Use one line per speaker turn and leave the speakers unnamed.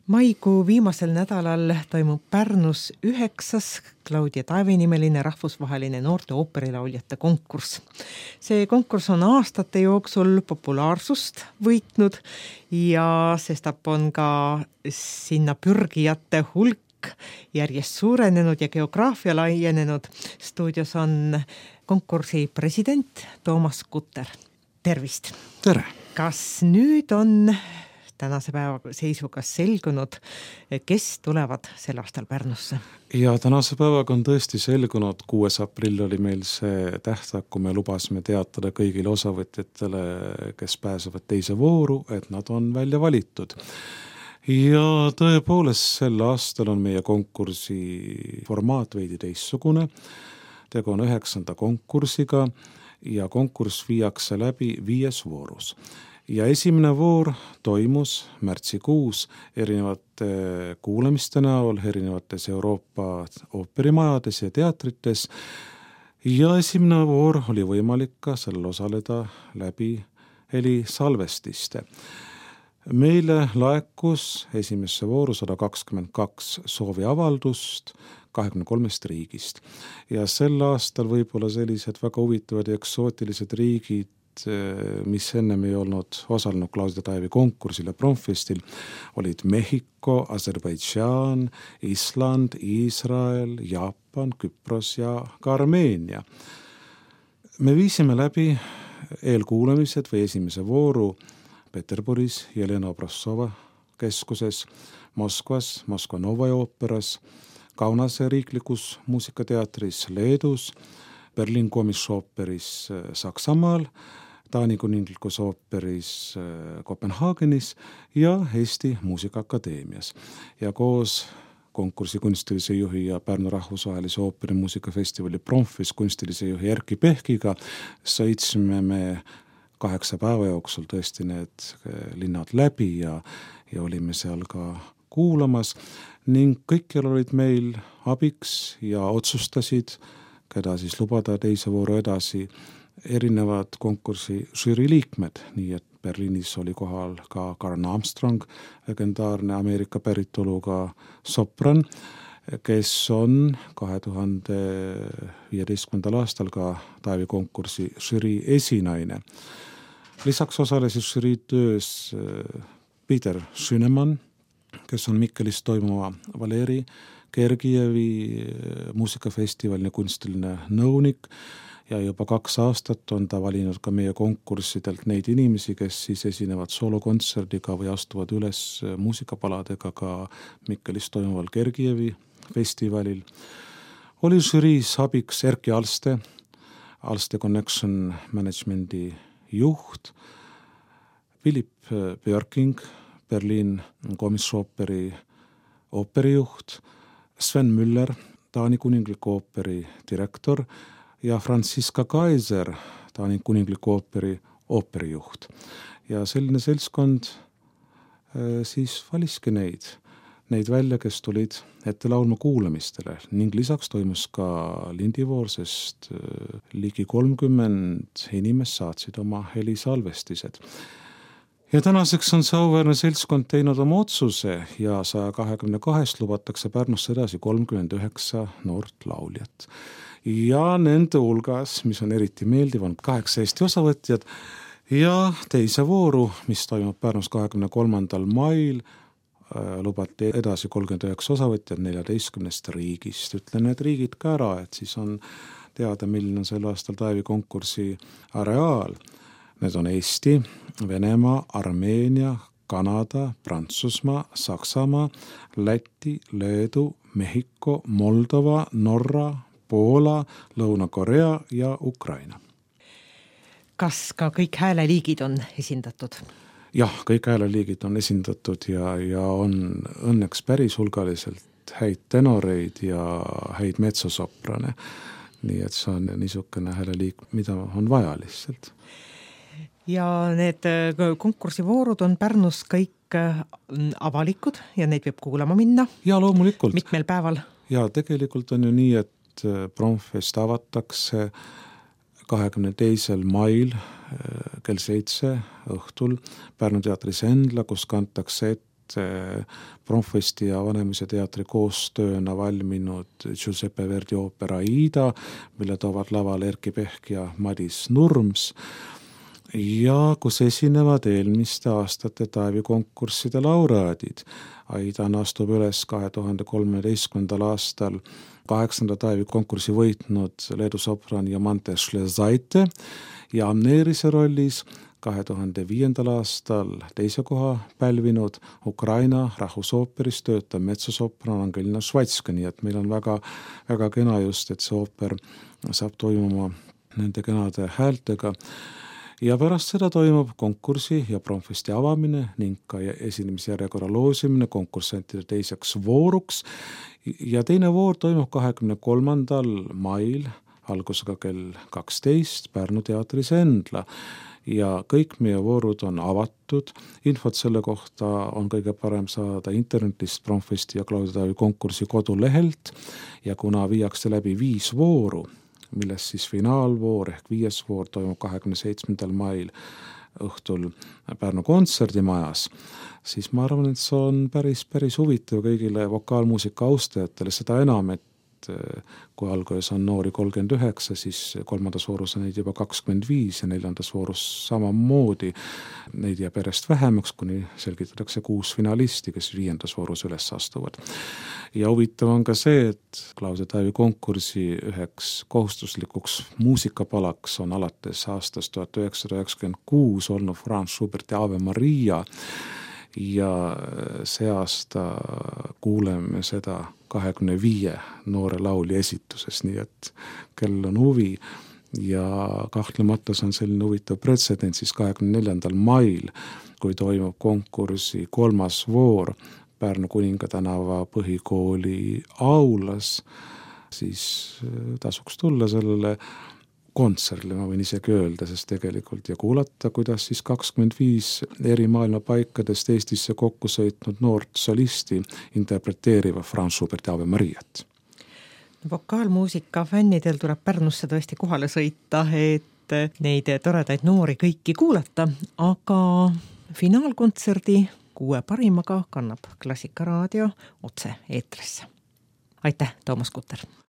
Maikuu viimasel nädalal toimub Pärnus 9. Claudia Taevi nimeline rahvusvaheline noorte ooperilauljate konkurss. See konkurss on aastate jooksul populaarsust võitnud ja sestap on ka sinna pürgijate hulk järjest suurenenud ja geograafia laienenud. Stuudios on konkursi president Toomas Kutter. Tervist!
Tere!
Kas nüüd on tänase päeva seisuga selgunud, kes tulevad sel aastal Pärnusse?
Ja tänase päevaga on tõesti selgunud. 6. aprill oli meil see tähtaeg, kui me lubasime teatada kõigile osavõtjatele, kes pääsevad teise vooru, et nad on välja valitud. Ja tõepoolest sel aastal on meie konkursi formaat veidi teissugune. Tegu on 9. konkursiga ja konkurss viiakse läbi 5 voorus. Ja esimene voor toimus märtsikuus erinevate kuulamiste näol erinevates Euroopa ooperimajades ja teatrites. Ja esimene voor oli võimalik ka sellel osaleda läbi helisalvestiste. Meile laekus esimesse vooru 122 sooviavaldust 23 riigist. Ja sel aastal võib-olla sellised väga huvitavad ja eksootilised riigid, mis ennem ei olnud osalenud Claudia Taevi konkursil ja Promfestil, olid Mehhiko, Aserbaidžaan, Island, Iisrael, Jaapan, Küpros ja ka Armeenia. Me viisime läbi eelkuulamised või esimese vooru Peterburis, Jelena Obrassova keskuses, Moskvas, Moskva Novai ooperas, Kaunase riiklikus muusikateatris Leedus, Berliin Komisooperis Saksamaal, Taani kuninglikus ooperis Kopenhaagenis ja Eesti Muusikaakadeemias. Ja koos konkursi kunstilise juhi ja Pärnu rahvusvahelise ooperimuusikafestivali Promfis kunstilise juhi Erki Pehkiga sõitsime me 8 päeva jooksul tõesti need linnad läbi ja olime seal ka kuulamas ning kõikjal olid meil abiks ja otsustasid, keda siis lubada teise vooru edasi, erinevad konkursi žürii liikmed, nii et Berliinis oli kohal ka Karen Armstrong, legendaarne Ameerika päritoluga sopran, kes on 2015. aastal ka Taevi konkursi žürii esinaine. Lisaks osalesid žürii töös Peter Schünemann, kes on Mikkelis toimuva Valeri Gergijevi muusikafestivalini kunstiline nõunik ja juba 2 aastat on ta valinud ka meie konkurssidelt neid inimesi, kes siis esinevad soolokontserdiga või astuvad üles muusikapaladega ka Mikkelis toimuval Gergijevi festivalil. Oli žüriis abiks Erki Alste, Alste Connection Managementi juht, Philip Björking, Berliin Komisooperi ooperijuht, Sven Müller, Taani kuningliku ooperi direktor ja Franziska Kaiser, Taani kuningliku ooperi ooperijuht. Ja selline seltskond siis valiski neid välja, kes tulid ette laulma kuulamistele ning lisaks toimus ka lindivoor, sest ligi 30 inimest saatsid oma helisalvestised. Ja tänaseks on see auväärne seltskond teinud oma otsuse ja 122 lubatakse Pärnusse edasi 39 noort lauljat. Ja nende hulgas, mis on eriti meeldiv, on 8 Eesti osavõtjad ja teise vooru, mis toimub Pärnus 23. mail, lubati edasi 39 osavõtjad 14 riigist. Ütlen need riigid ka ära, et siis on teada, milline on sel aastal Taevi konkursi areaal. Need on Eesti, Venemaa, Armeenia, Kanada, Prantsusmaa, Saksamaa, Läti, Leedu, Mehhiko, Moldova, Norra, Poola, Lõuna-Korea ja Ukraina.
Kas ka kõik hääleliigid on esindatud?
Jah, kõik hääleliigid on esindatud ja on õnneks päris hulgaliselt häid tenoreid ja häid metsosoprane. Nii et see on niisugune hääleliik, mida on vaja lihtsalt.
Ja need konkursivoorud on Pärnus kõik avalikud ja neid võib kuulama minna?
Ja loomulikult.
Mitmel päeval?
Ja tegelikult on ju nii, et Promfest avatakse 22. mail kell 7 õhtul Pärnu teatris Endla, kus kantakse ette Pronfesti ja Vanemuise teatri koostööna valminud Giuseppe Verdi oopera Aida, mille toovad lavale Erkki Pehk ja Madis Nurms, ja kus esinevad eelmiste aastate Taavi-konkursside laureaadid. Aidana astub üles 2013. aastal 8. Taavi-konkurssi võitnud Leedu sopran Jomante Šlezaite ja Amneerise rollis 2005. aastal 2. koha pälvinud Ukraina rahvusooperis töötav metsosopran Angelina Švatska, nii et meil on väga, väga kena just, et see ooper saab toimuma nende kenade häältega. Ja pärast seda toimub konkursi ja Pronfesti avamine ning ka esinemisjärjekorra loosimine konkursantide teiseks vooruks. Ja teine voor toimub 23. mail algusega kell 12 Pärnu teatris Endla. Ja kõik meie voorud on avatud. Infot selle kohta on kõige parem saada internetist Pronfesti ja Claudia Taavi konkursi kodulehelt. Ja kuna viiakse läbi 5 vooru, millest siis finaalvoor ehk 5. voor toimub 27. mail õhtul Pärnu kontserdimajas, siis ma arvan, et see on päris huvitav kõigile vokaalmuusika austajatele, seda enam, et kui alguses on noori 39, siis 3. voorus on neid juba 25 ja 4. voorus samamoodi. Neid jääb järjest vähemaks, kuni selgitatakse 6 finalisti, kes 5. voorus üles astuvad. Ja huvitav on ka see, et Claudia Taavi konkursi üheks kohustuslikuks muusikapalaks on alates aastast 1996 olnud Franz Schuberti Ave Maria. Ja see aasta kuuleme seda 25 noore lauli esituses, nii et kell on huvi ja kahtlemata on selline huvitav pretsedent siis 24. mail, kui toimub konkursi 3. voor Pärnu Kuninga tänava põhikooli aulas, siis tasuks tulla sellele kontsertile, ma võin isegi öelda, sest tegelikult ja kuulata, kuidas siis 25 eri maailma paikadest Eestisse kokku sõitnud noort solisti interpreteeriva Franz Schuberti Ave Mariat.
Vokaalmuusika fännidel tuleb Pärnusse tõesti kohale sõita, et neid toredaid noori kõiki kuulata, aga finaalkontserdi 6 parimaga kannab Klassikaraadio otse eetrisse. Aitäh, Toomas Kutter!